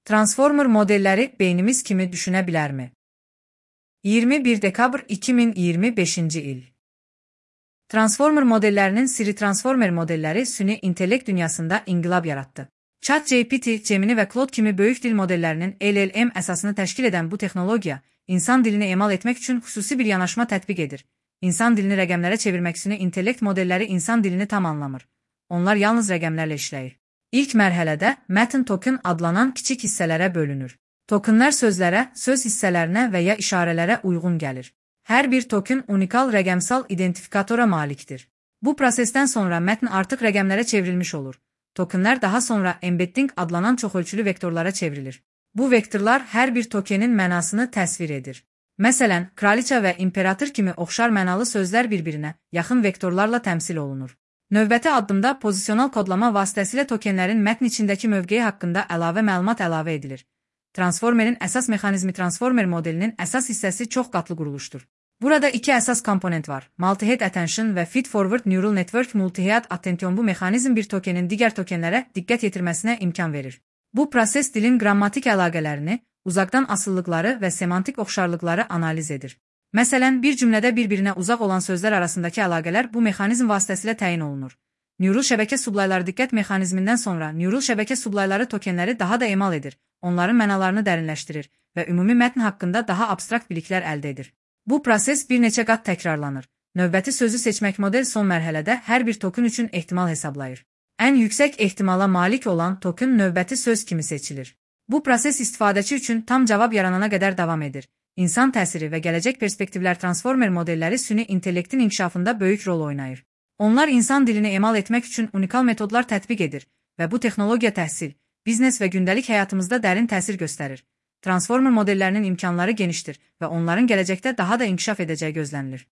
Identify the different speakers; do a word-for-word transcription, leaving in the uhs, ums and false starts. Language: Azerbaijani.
Speaker 1: Transformer modelləri beynimiz kimi düşünə bilərmi? iyirmi bir dekabr iki min iyirmi beşinci il. Transformer modellərinin siri Transformer modelləri süni intellekt dünyasında inqilab yaratdı. ChatGPT, Gemini və Claude kimi böyük dil modellərinin L L M əsasını təşkil edən bu texnologiya, insan dilini emal etmək üçün xüsusi bir yanaşma tətbiq edir. İnsan dilini rəqəmlərə çevirmək süni intellekt modelləri insan dilini tam anlamır. Onlar yalnız rəqəmlərlə işləyir. İlk mərhələdə mətn token adlanan kiçik hissələrə bölünür. Tokenlər sözlərə, söz hissələrinə və ya işarələrə uyğun gəlir. Hər bir token unikal rəqəmsal identifikatora malikdir. Bu prosesdən sonra mətn artıq rəqəmlərə çevrilmiş olur. Tokenlər daha sonra embedding adlanan çoxölçülü vektorlara çevrilir. Bu vektorlar hər bir tokenin mənasını təsvir edir. Məsələn, kraliça və imperator kimi oxşar mənalı sözlər bir-birinə yaxın vektorlarla təmsil olunur. Növbəti addımda pozisional kodlama vasitəsilə tokenlərin mətn içindəki mövqeyi haqqında əlavə məlumat əlavə edilir. Transformerin əsas mexanizmi Transformer modelinin əsas hissəsi çox qatlı quruluşdur. Burada iki əsas komponent var. Multi-head attention və feed-forward neural network multi-head attention. Bu mexanizm bir tokenin digər tokenlərə diqqət yetirməsinə imkan verir. Bu proses dilin qrammatik əlaqələrini, uzaqdan asılılıqları və semantik oxşarlıqları analiz edir. Məsələn, bir cümlədə bir-birinə uzaq olan sözlər arasındakı əlaqələr bu mexanizm vasitəsilə təyin olunur. Neural şəbəkə sublayları diqqət mexanizmindən sonra neural şəbəkə sublayları tokenləri daha da emal edir, onların mənalarını dərinləşdirir və ümumi mətn haqqında daha abstrakt biliklər əldə edir. Bu proses bir neçə qat təkrarlanır. Növbəti sözü seçmək model son mərhələdə hər bir token üçün ehtimal hesablayır. Ən yüksək ehtimala malik olan token növbəti söz kimi seçilir. Bu proses istifadəçi üçün tam cavab yaranana qədər davam edir. İnsan təsiri və gələcək perspektivlər Transformer modelləri süni intellektin inkişafında böyük rol oynayır. Onlar insan dilini emal etmək üçün unikal metodlar tətbiq edir və bu texnologiya təhsil, biznes və gündəlik həyatımızda dərin təsir göstərir. Transformer modellərinin imkanları genişdir və onların gələcəkdə daha da inkişaf edəcəyi gözlənilir.